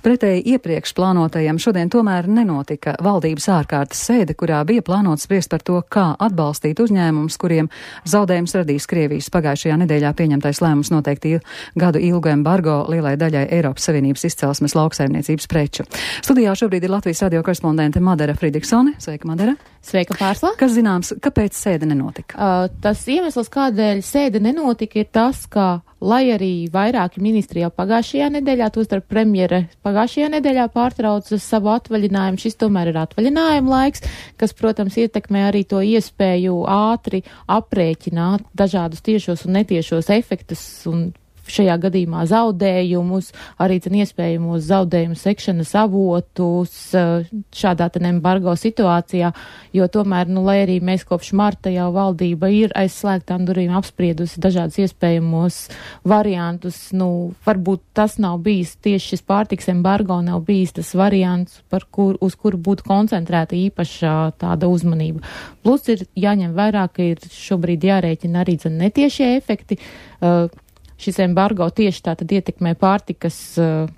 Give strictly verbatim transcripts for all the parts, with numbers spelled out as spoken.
Pretēji iepriekš plānotajam šodien tomēr nenotika valdības ārkārtas sēde, kurā bija plānots spriest par to, kā atbalstīt uzņēmumus, kuriem zaudējums radīs Krievijas pagājušajā nedēļā pieņemtais lēmums noteikti gadu ilgu embargo lielai daļai Eiropas Savienības izcelsmes lauksaimniecības preču. Studijā šobrīd ir Latvijas radio korespondente Madara Fridriksone. Sveika, Madara. Sveika, Pārsla. Kas zināms, kāpēc sēde nenotika? Uh, tas iemesls, kādēļ sēde nenotika, ir tas, ka, lai arī vairāki ministri jau pagājušajā nedēļā, tostarp premjere pagājušajā nedēļā pārtrauca savu atvaļinājumu, šis tomēr ir atvaļinājuma laiks, kas, protams, ietekmē arī to iespēju ātri aprēķināt dažādus tiešos un netiešos efektus un šajā gadījumā zaudējumus, arī cen iespējamos zaudējumu sekšanas avotus šādā ten embargo situācijā, jo tomēr, nu, lai arī mēs kopš marta jau valdība ir aizslēgtām durvīm apspriedusi dažādus iespējamos variantus, nu, varbūt tas nav bijis tieši šis pārtiks embargo, nav bijis tas variants, par kur, uz kuru būtu koncentrēta īpaša tāda uzmanība. Plus ir jāņem vērā, ka ir šobrīd jārēķina arī cen netiešie efekti. Uh, Šis embargo tieši tātad ietekmē pārtikas uh,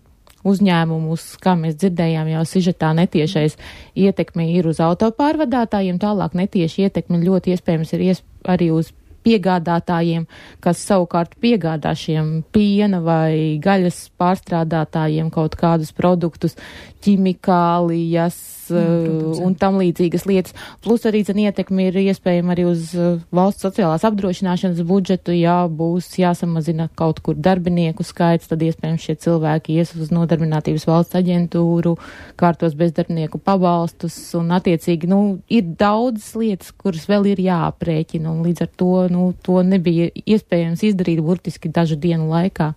uzņēmumus, kā mēs dzirdējām jau sižetā, netiešais ietekme ir uz autopārvadātājiem, tālāk netieši ietekme ļoti iespējams ir iesp arī uz piegādātājiem, kas savukārt piegādā šiem piena vai gaļas pārstrādātājiem kaut kādus produktus, ķimikālijas mm, un tam līdzīgas lietas. Plus arī zin ietekmi ir iespējama arī uz valsts sociālās apdrošināšanas budžetu, ja būs jāsamazina kaut kur darbinieku skaits, tad iespējams šie cilvēki ies uz nodarbinātības valsts aģentūru, kārtos bezdarbnieku pabalstus un attiecīgi, nu, ir daudzas lietas, kuras vēl ir jāaprēķina un līdz ar to, nu, to nebija iespējams izdarīt burtiski dažu dienu laikā.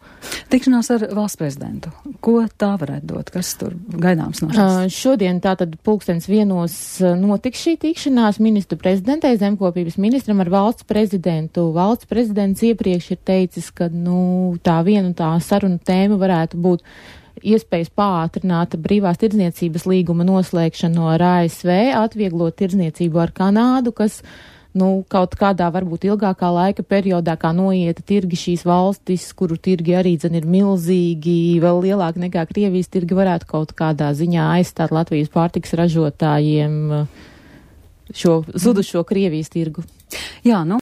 Tikšanās ar valsts prezidentu. Ko tā varētu dot? Kas tur gaidāms no šīs? Uh, šodien tātad pulkstens vienos notiks šī tikšanās ministru prezidentei, zemkopības ministram ar valsts prezidentu. Valsts prezidents iepriekš ir teicis, ka, nu, tā viena un tā saruna tēma varētu būt iespējas pātrināt brīvās tirdzniecības līguma noslēgšanu ar A S V, atvieglot tirdzniecību ar Kanādu, kas nu, kaut kādā varbūt ilgākā laika periodā, kā noieta tirgi šīs valstis, kuru tirgi arī dzen ir milzīgi, vēl lielāki nekā Krievijas tirgi, varētu kaut kādā ziņā aizstāt Latvijas pārtikas ražotājiem šo zudušo Krievijas tirgu. Jā, nu.